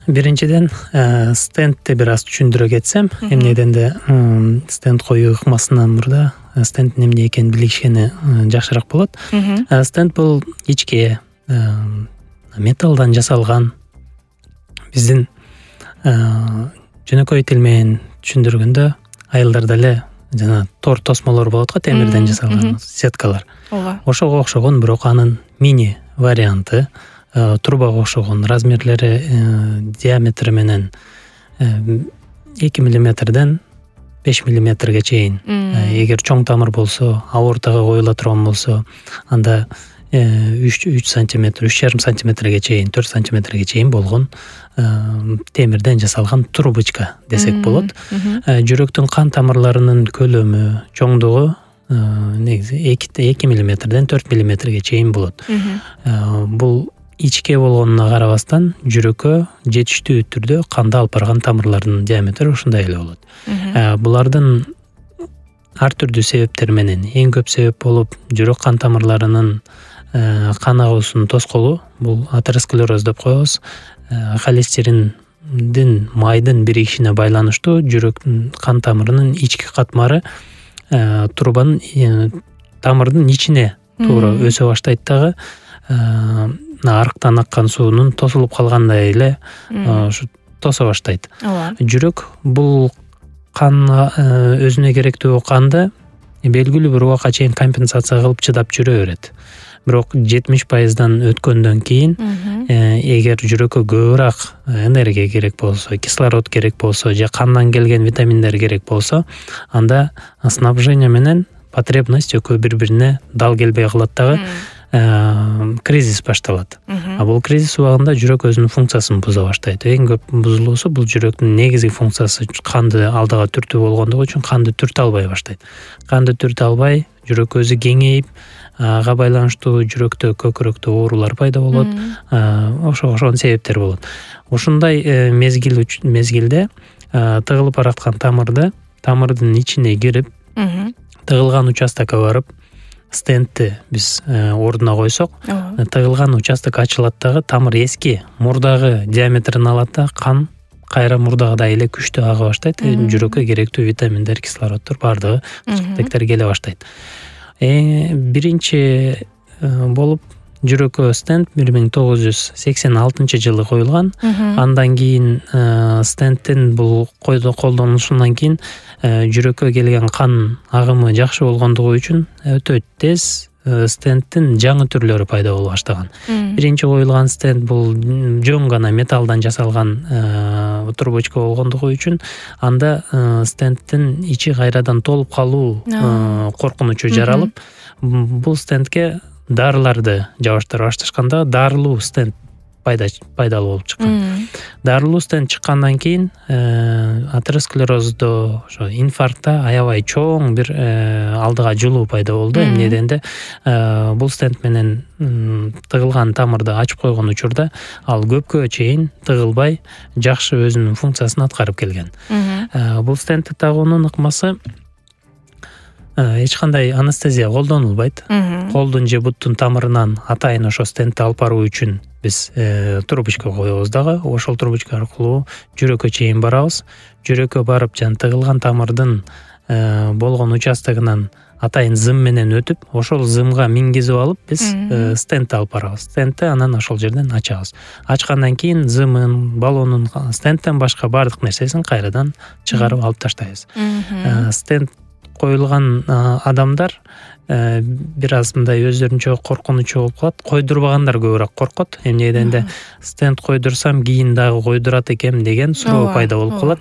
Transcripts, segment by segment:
биринчиден стендти бир аз түшүндүрө кетсем, эмне дегенде стенд коюу ыкмасынан мурда стендтин эмне экенин билишкени жакшыраак болот. Стенд бул ичке металлдан жасалган, биздин жөнөкөй тил менен түшүндүргөндө айылдарда эле жана тор тосмолор болот го, темирден жасалган сеткалар. Ошого окшогон, бирок анын мини варианты, трубага окшогон, размерлери, диаметри менен 2 мм 5 мм чейин. Эгер чоң тамыр болсо, аортага коюла турган болсо, анда 3 сантиметр, 3,5 сантиметрге чейин, 4 сантиметрге чейин болгон темирден жасалган трубочка десек болот. Жүрөктүн кан тамырларынын көлөмү, чоңдугу негизи 2 мм 4 ммге чейин болот. Бул ичке болгонуна карабастан жүрөккө жетиштүү түрдө канды алып барган тамырлардын диаметри ушундай эле болот. Булардын ар түрдүү себептер менен, эң көп себеп болуп жүрөк кан тамырларынын кан агуусунун тоскоолу, бул атеросклероз деп коебуз. Холестериндин майдын биригишине байланыштуу жүрөктүн кан тамырынын ички катмары трубанын тамырдын ичине туура өсө баштайт дагы, арыктан аккан суунун тосулуп калгандай эле ушу тосо баштайт. Жүрөк бул кан өзүнө керектүү канды белгилүү бир убакка чейин компенсация кылып чыдап жүрө берет. Бирок 70%дан өткөндөн кийин, эгер жүрөккө көбүрөөк энергия керек болсо, кислород керек болсо, же кандан келген витаминдер керек болсо, анда снабжение менен потребность экөө бири-бирине дал келбей калат дагы, кризис башталат. Бул кризис убагында жүрөк өзүнүн функциясын буза баштайт. Эң көп бузулуусу бул жүрөктүн негизги функциясы канды алдыга түртүү болгондугу үчүн канды түртө албай баштайт. Канды түртө албай, жүрөк өзү кеңейип, ага байланыштуу жүрөктө көкүрөктө оорулар пайда болот. Ошол себептер болот. Ушундай мезгилде тыгылып бараткан тамырдын ичине кирип, тыгылган участокко барып, стендти биз ордуна койсок, тыгылган участок ачылат дагы, тамыр эски мурдагы диаметрин алат да, кан кайра мурдагыдай эле күчтүү ага баштайт. Жүрөккө керектүү витаминдер, кислороддор бардыгы кычкыртектер келе баштайт. Биринчи болуп жүрөккө стенд 1986-жылы коюлган. Андан кийин стендтин бул колдонулушунан кийин жүрөккө келген кан агымы жакшы болгондугу үчүн өтө тез стендтин жаңы түрлөрү пайда боло баштаган. Биринчи коюлган стенд бул жөн гана металлдан жасалган трубочка болгондугу үчүн анда стендтин ичи кайрадан толуп калуу коркунучу жаралып, бул стендке дарыларды жабыштыра башташканда дарылуу стенд пайдалуу болуп чыккан. Дарылуу стенд чыккандан кийин атеросклероздо, ошо инфарктта аябай чоң бир алдыга жылуу пайда болду. Эмне дегенде бул стенд менен тыгылган тамырды ачып койгон учурда ал көпкө чейин тыгылбай жакшы өзүнүн функциясын аткарып келген. Бул стендти тагуунун ыкмасы эч кандай анестезия колдонулбайт. Колдун же буттун тамырынан атайын ошо стендти алып баруу үчүн биз трубочка коебуз дагы. Ошол трубочка аркылуу жүрөккө чейин барабыз. Жүрөккө барып, жана тыгылган тамырдын болгон участогунан атайын зым менен өтүп, ошол зымга мингизип алып, биз стендти алып барабыз. Стендти анан ошол жерден ачабыз. Ачкандан кийин зымын, баллонун, стендтен башка бардык нерсесин кайрадан чыгарып алып таштайбыз. Стенд коюлган адамдар бир аз мындай өздөрүнчө коркунучу болуп калат. Койдурбагандар көбүрөөк коркот. Эмне дегенде стенд койдурсам кийин дагы койдурат экем деген суроо пайда болуп калат.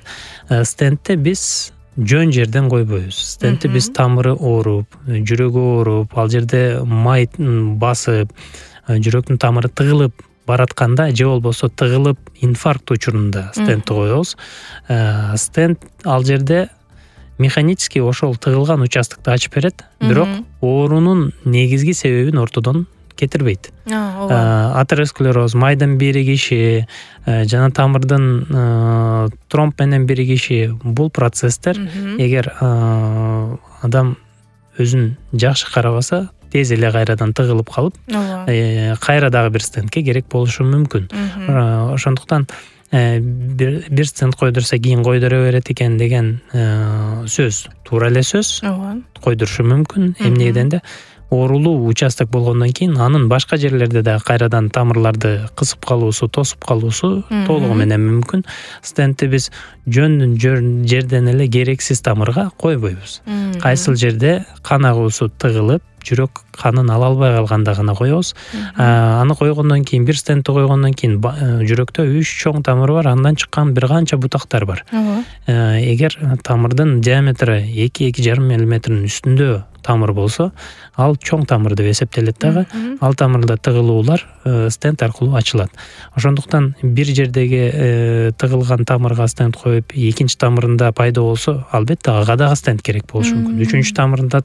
Стендти биз жөн жерден койбойбуз. Стендти биз тамыры ооруп, жүрөгү ооруп, ал жерде май басып, жүрөктүн тамыры тыгылып баратканда, же болбосо тыгылып инфаркт учурунда стендти коебуз. Стенд ал жерде механически ошол тыгылган участокду ачып берет, бирок оорунун негизги себебин ортодон кетирбейт. Атеросклероз, майдын биригиши, жана тамырдын тромб менен биригиши, бул процесстер эгер адам өзүн жакшы карабаса, тез эле кайрадан тыгылып калып, кайра дагы бир стендке керек болушу мүмкүн. Ошондуктан бир стенд койдурса кийин койдура берет экен деген сөз туура эле сөз. Ооба. Койдурушу мүмкүн. Эмне дегенде оорулуу участок болгондон кийин анын башка жерлерде да кайрадан тамырларды кысып калуусу, тосуп калуусу толугу менен мүмкүн. Стендти биз жөн жерден эле керексиз тамырга койбойбуз. Кайсыл жерде кан агуусу тыгылып, жүрөк канын ала албай калганда гана коебуз. Аны койгондон кийин, бир стендти койгондон кийин жүрөктө 3 чоң тамыр бар, андан чыккан бир канча бутактар бар. Эгер тамырдын диаметри 2-2,5 мм үстүндө тамыр болсо, ал чоң тамыр деп эсептелет дагы. Ал тамырда тыгылуулар стенд аркылуу ачылат. Ошондуктан бир жердеги тыгылган тамырга стенд коюп, экинчи тамырында пайда болсо, албетте ага дагы стенд керек болушу мүмкүн. Үчүнчү тамырында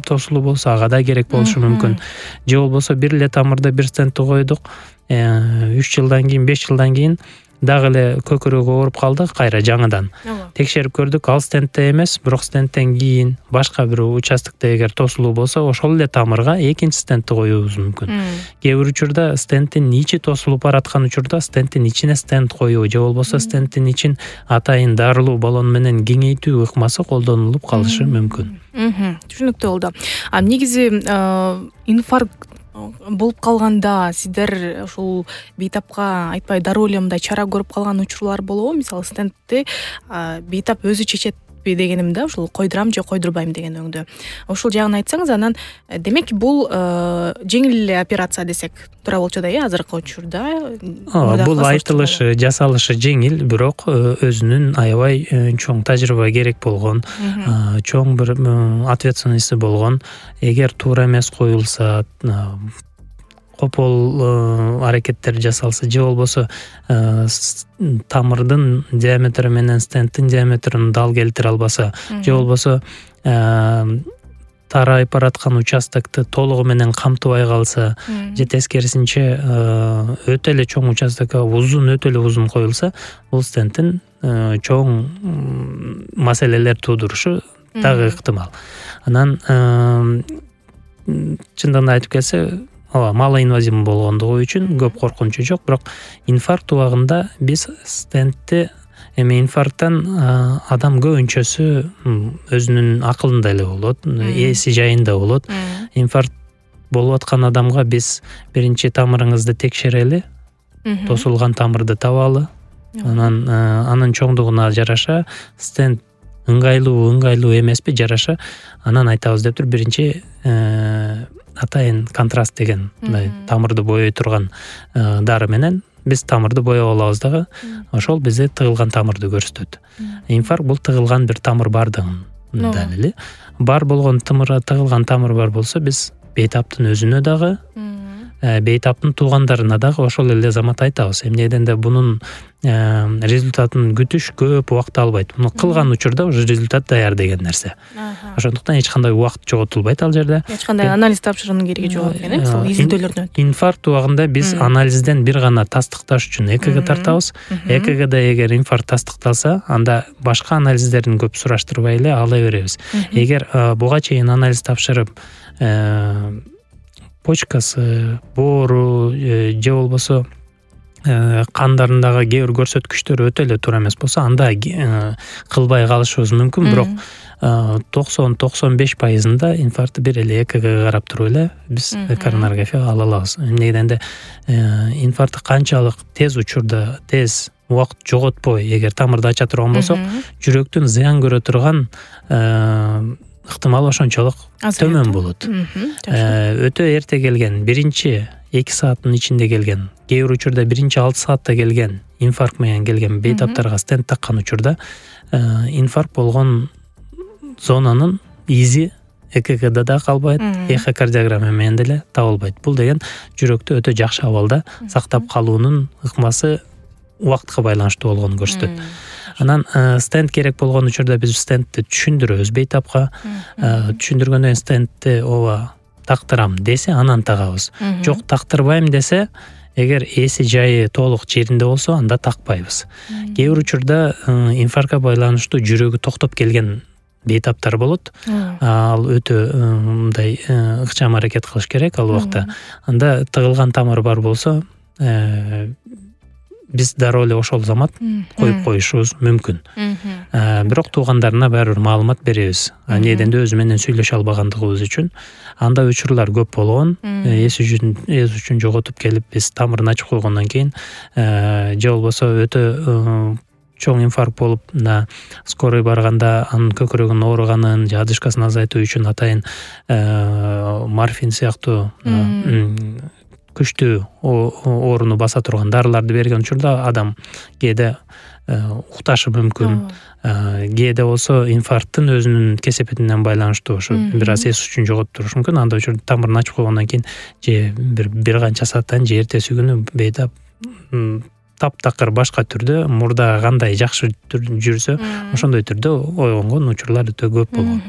тосулуу болсо, ага да керек болушу мүмкүн. Же болбосо бир эле тамырда бир стендти койдук, 3 жылдан кийин, 5 жылдан кийин дагы эле көкүрөгү ооруп калды, кайра жаңыдан текшерип көрдүк, ал стендте эмес, бирок стендтен кийин башка бир участокто эгер тосулуу болсо, ошол эле тамырга экинчи стендти коюубуз мүмкүн. Кээ бир учурда стендтин ичи тосулуп бараткан учурда стендтин ичине стенд коюу же болбосо стендтин ичин атайын дарылуу баллон менен кеңейтүү ыкмасы колдонулуп калышы мүмкүн. Түшүнүктүү болду. Негизи инфаркт болуп калганда сиздер ушул бейтапка айтпай дароо эле мындай чара көрүп калган учурлар болобу? Мисалы стендти бейтап өзү чечетпи дегеним да, ушул койдурам же койдурбайм деген өңдө. Ушул жагын айтсаңыз, анан демек бул жеңил эле операция десек туура болчу да, азыркы учурда. Бул айтылышы, жасалышы жеңил, бирок өзүнүн аябай чоң тажрыйба керек болгон, чоң бир ответственности болгон, эгер туура эмес коюлса, копол аракеттер жасалса, же болбосо тамырдын диаметри менен стендтин диаметрин дал келтире албаса, же болбосо тарайып бараткан участокты толугу менен камтыбай калса, же тескерисинче өтө эле чоң участокко өтө эле узун коюлса, бул стендтин чоң маселелер туудурушу дагы ыктымал. Анан чындыгын айтып келсе, малоинвазивный болгондугу үчүн көп коркунучу жок, бирок инфаркт убагында биз стендти инфаркттан адам көбүнчөсү өзүнүн акылында эле болот, эси жайында болот. Инфаркт болуп аткан адамга биз биринчи тамырыңызды текшерели, тосулган тамырды табалы, анын чоңдугуна жараша стенд ыңгайлуу эмеспи, жараша, анан айтабыз деп туруп биринчи атайын контраст деген тамырды боей турган дары менен биз тамырды боеп алабыз дагы, ошол бизде тыгылган тамырды көрсөтөт. Инфаркт бул тыгылган бир тамыр бардыгын далили. Бар болгон тыгылган тамыр бар болсо, биз бейтаптын өзүнө дагы, бейтаптын туугандарына дагы ошол эле замат айтабыз. Эмне дегенде бунун результатын күтүш көп убакыт албайт. Муну кылган учурда уже результат даяр деген нерсе. Ошондуктан эч кандай убакыт жоготулбайт ал жерде. Эч кандай анализ тапшыруунун кереги жок экен, мисалы изилдөөлөрдөн. Инфаркт убагында биз анализден бир гана тастыкташ үчүн ЭКГ тартабыз. ЭКГда эгер инфаркт тастыкталса, анда башка анализдерин көп сураштырбай эле ала беребиз. Эгер буга чейин анализ тапшырып, почкасы, боору же болбосо кандарындагы кээ бир көрсөткүчтөр өтө эле туура эмес болсо, анда кылбай калышыбыз мүмкүн, бирок 90-95% инфарктты бир эле ЭКГ карап туруп эле биз коронарография ала алабыз. Эмне дегенде инфаркт канчалык тез учурда, тез убакыт жоготпой эгер тамырды ача турган болсок, жүрөктүн зыян көрө турган ыктымал ошончолук төмөн болот. Өтө эрте келген, биринчи 2 сааттын ичинде келген, кээ бир учурда биринчи 6 саатта келген инфаркт менен келген бейтаптарга стенд таккан учурда инфаркт болгон зонанын изи ЭКГда да калбайт, эхокардиограмма менен деле табылбайт. Бул деген жүрөктү өтө жакшы абалда сактап калуунун ыкмасы убакытка байланыштуу болгонун көрсөтөт. Анан стенд керек болгон учурда биз стендти түшүндүрөбүз бейтапка. Түшүндүргөндөн стендти ооба тактырам десе, анан тагабыз. Жок, тактырбайм десе, эгер эси жайы толук жеринде болсо, анда такпайбыз. Кээ бир учурда инфарктка байланыштуу жүрөгү токтоп келген бейтаптар болот. Ал өтө мындай ыкчам аракет кылыш керек ал убакта. Анда тыгылган тамыр бар болсо, биз дароо эле ошол замат коюп коюшубуз мүмкүн. Бирок туугандарына баары бир маалымат беребиз. Анеден өзү менен сүйлөшө албагандыгыбыз үчүн. Андай учурлар көп болгон. Эс үчүн жоготуп келип биз тамырын ачып койгондон кийин же болбосо өтө чоң инфаркт болуп мына скорый барганда анын көкүрөгүнүн ооруганын же одышкасын азайтуу үчүн атайын морфин сыяктуу күчтүү ооруну баса турган дарыларды берген учурда адам кээде укташы мүмкүн. Кээде болсо инфаркттын өзүнүн кесепетинен байланыштуу ушу бир аз эс үчүн жоготуп турушу мүмкүн. Андай учурда тамырын ачып койгондон кийин же бир канча сааттан же эртеси күнү бейтап таптакыр башка түрдө мурда кандай жакшы жүрсө ошондой түрдө ойгонгон учурлар өтө көп болгон.